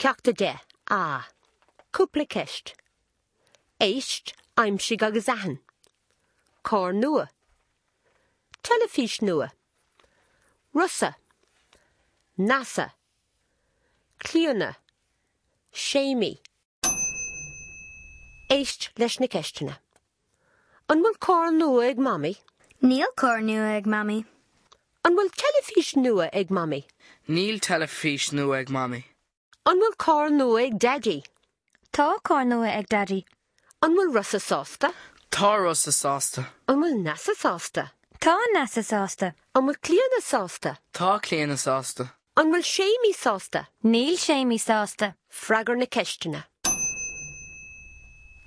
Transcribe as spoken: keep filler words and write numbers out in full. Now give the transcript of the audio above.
Ceacht a deich A. Cúpla ceist. Éist, aimsigh agus aithin. Carr nua. Teilifís nua. Rosa. NASA. Clíona. Séimí. Éist leis na ceisteanna. An bhfuil carr nua ag Mamaí? Níl carr nua ag Mamaí. An bhfuil teilifís nua ag Mamaí? Níl teilifís nua ag Mamaí. An bhfuil carr nua ag Daidí? Tá carr nua ag Daidí. An bhfuil Rosa sásta? Tá Rosa sásta. An bhfuil Neasa sásta? Tá Neasa sásta. An bhfuil Clíona sásta? Tá Clíona sásta. An bhfuil Séimí sásta? Níl Séimí sásta. Freagair na ceisteanna.